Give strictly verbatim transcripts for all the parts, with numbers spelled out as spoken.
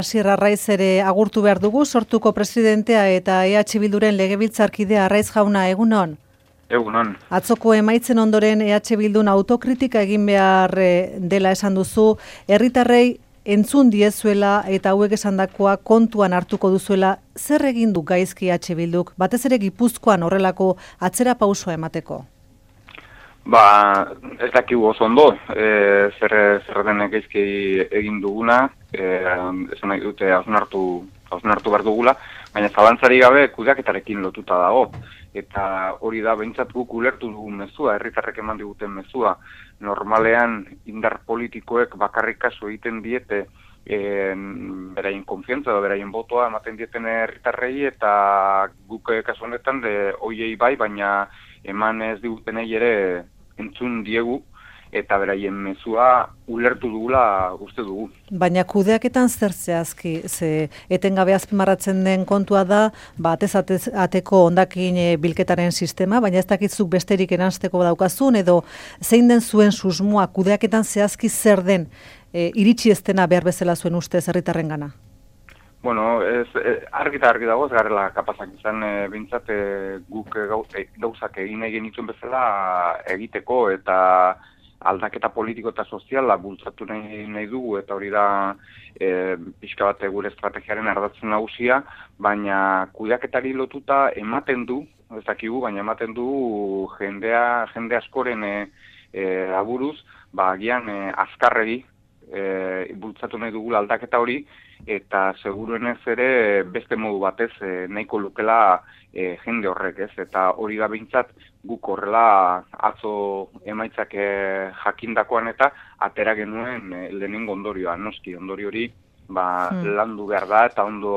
Asier Arraiz ere agurtu behar dugu, sortuko presidentea eta E H Bilduren legebiltzarkidea. Arraiz jauna, egunon? Egunon. Atzoko emaitzen ondoren E H Bildun autokritika egin behar dela esan duzu, herritarrei entzun diezuela eta hauek esandakoa kontuan hartuko duzuela. Zer egin du gaizki E H Bilduk, batez ere Gipuzkoan horrelako atzera pausoa emateko? Ba, ez dakigu oso ondo, e, zer, zer den gaizki egin duguna, e, esan nahi dute hausnartu, hausnartu behar dugula, baina zalantzari gabe kudeaketarekin lotuta dago. Eta hori da behintzat guk ulertu dugun mezua, herritarrek eman diguten mezua. Normalean indar politikoek bakarrik kasu egiten diete e, beraien konfiantza edo beraien botoa ematen dieten herritarrei, eta guk kasu honetan de hoiei bai, baina eman ez digutenei ere entzun diegu, eta beraien mezua ulertu dugula uste dugu. Baina kudeaketan zer zehazki, ze etengabe azpimarratzen den kontua da, ba, atez ateko hondakin e, bilketaren sistema, baina ez dakitzuk besterik eranzteko daukazun, edo zein den zuen susmoa kudeaketan zehazki zer den e, iritsi ez dena behar bezala zuen ustez herritarrengana? Bueno, ez, argi eta argi dago, ez garela kapazak izan e, bintzat e, guk e, gauzak egin egin ituen bezala egiteko, eta aldaketa politiko eta soziala bultzatu nahi, nahi dugu, eta hori da e, pixka bat gure estrategiaren ardatzen nagusia, baina kudeaketari lotuta ematen du, ez dakigu, baina ematen du jendea, jende askoren e, e, aburuz, ba, agian e, azkarregi e, bultzatu nahi dugula aldaketa hori, eta seguruenez ere beste modu batez e, nahiko lukela e, jende horrek, ez? Eta hori da behintzat guk horrela atzo emaitzak e, jakindakoan eta atera genuen e, lehenengo ondorioa, noski ondorio hori ba, hmm. landu behar da eta ondo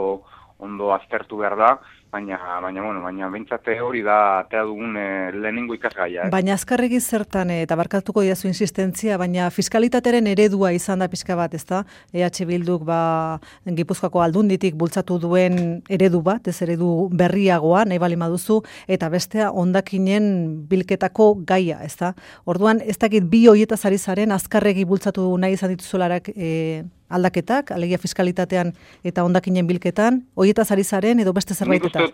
ondo aztertu behar da, baina baina bueno, baina behintzat hori da atera dugun e, lehenengo ikasgaia. Eh? Baina azkarregi zertan eta barkatuko diazu insistentzia, baina fiskalitateren eredua izan da pixka bat, ezta? E H Bilduk ba Gipuzkoako Aldunditik bultzatu duen eredu bat, ez eredu berriagoa nahi bali maduzu, eta bestea hondakinen bilketako gaia, ezta? Orduan ez dakit bi hoietaz ari zaren azkarregi bultzatu nahi izan dituzularak e, aldaketak, alegia fiskalitatean eta hondakinen bilketan, hoietaz ari zaren edo beste zerbaitetan?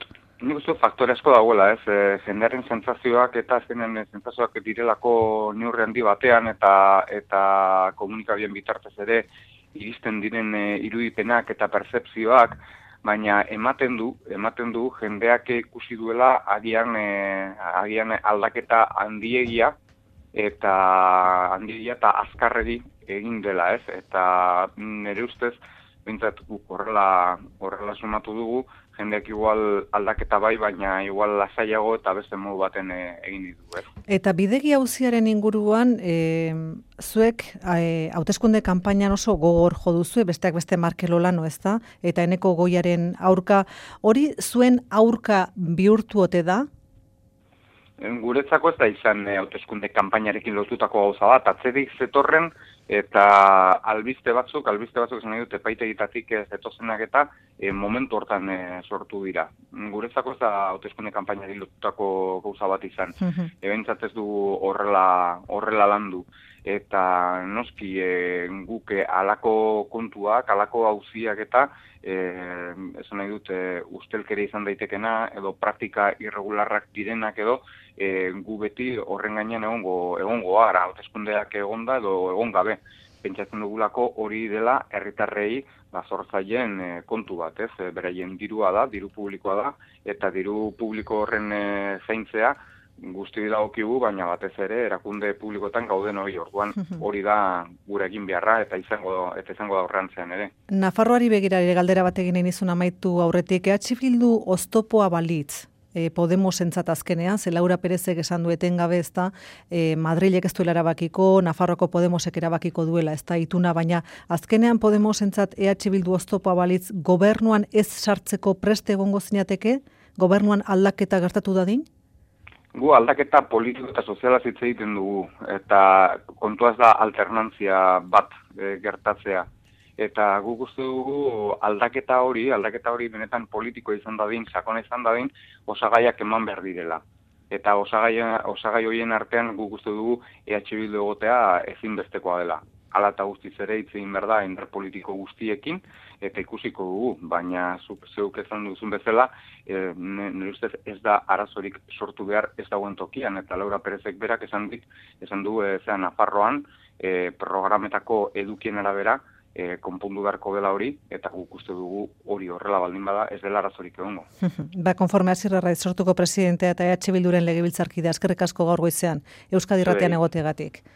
Nik uste faktore asko dagoela, ez, e, jendearen sentsazioak eta zenen sentsazioak direlako neurri handi batean, eta eta komunikabideen bitartez ere iristen diren e, irudipenak eta pertzepzioak, baina ematen du, ematen du jendeak ikusi duela agian, e, agian aldaketa handiegia, eta handiegia eta azkarregi egin dela, ez? Eta nire ustez, bintzat guk horrela, horrela sumatu dugu, jendeak igual aldaketa bai, baina igual lasaiago eta beste modu baten e, egin ditu, ez? Eta bidegi auziaren inguruan, e, zuek e, hauteskunde kanpainan oso gogor jo duzu, besteak beste Markel Olano, ez da? Eta Eneko Goiaren aurka, hori zuen aurka bihurtu ote da? Guretzako ez da izan hauteskunde kanpainarekin lotutako gauza bat, atzerik zetorren eta albiste batzuk, albiste batzuk esan nahi dut epaitegitatik zetozenak eta e, momentu hortan e, sortu dira. Guretzako ez da hauteskunde kanpainarekin lotutako gauza bat izan. Mm-hmm. Ebentzat ez du horrela, horrela landu. Eta noski e, guk e, alako kontuak, alako auziak eta e, esan nahi dut e, ustelkeria izan daitekena edo praktika irregularrak direnak edo e, gu beti horren gainean egongo, egongo gara, hauteskundeak egonda edo egon gabe. Pentsatzen dugulako hori dela herritarrei ba, zortzaien e, kontu bat, ez? E, beraien dirua da, diru publikoa da, eta diru publiko horren e, zaintzea guzti dagokigu, baina batez ere erakunde publikoetan gauden hori, orduan hori da gure egin beharra eta izango eta izango da aurrantzean ere. Nafarroari begira ere galdera bat egin nizun amaitu aurretik, E H Bildu oztopoa balitz, e, Podemosentzat azkenean, ze Laura Perezek esan du etengabe, ezta, e, Madrilek ez duela erabakiko, Nafarroako Podemosek erabakiko duela, ezta ituna, baina azkenean Podemosentzat E H Bildu oztopoa balitz gobernuan ez sartzeko preste egongo zinateke, gobernuan aldaketa gertatu dadin? Gu aldaketa politiko eta sozialaz hitz egiten dugu, eta kontuaz da alternantzia bat e, gertatzea. Eta guk uste dugu aldaketa hori, aldaketa hori benetan politiko izan dadin, sakona izan dadin, osagaiak eman behar direla. Eta osagai, osagai horien artean guk uste dugu E H Bildu egotea ezinbestekoa dela. ala eta guztiz ere hitz egin behar da indar politiko guztiekin, eta ikusiko dugu, baina zuk zeuk esan duzun bezala, e, nire ustez ez da arazorik sortu behar ez dagoen tokian, eta Laura Perezek berak esan dit, esan du, e, zean Nafarroan, e, programetako edukien arabera, e, konpondu beharko dela hori, eta guk uste dugu hori horrela baldin bada ez dela arazorik egongo. Ba, konforme Asier Arraiz sortuko presidentea eta E H Bilduren legebiltzarkidea, eskerrik asko gaur goizean, Euskadi Irratian egoteagatik.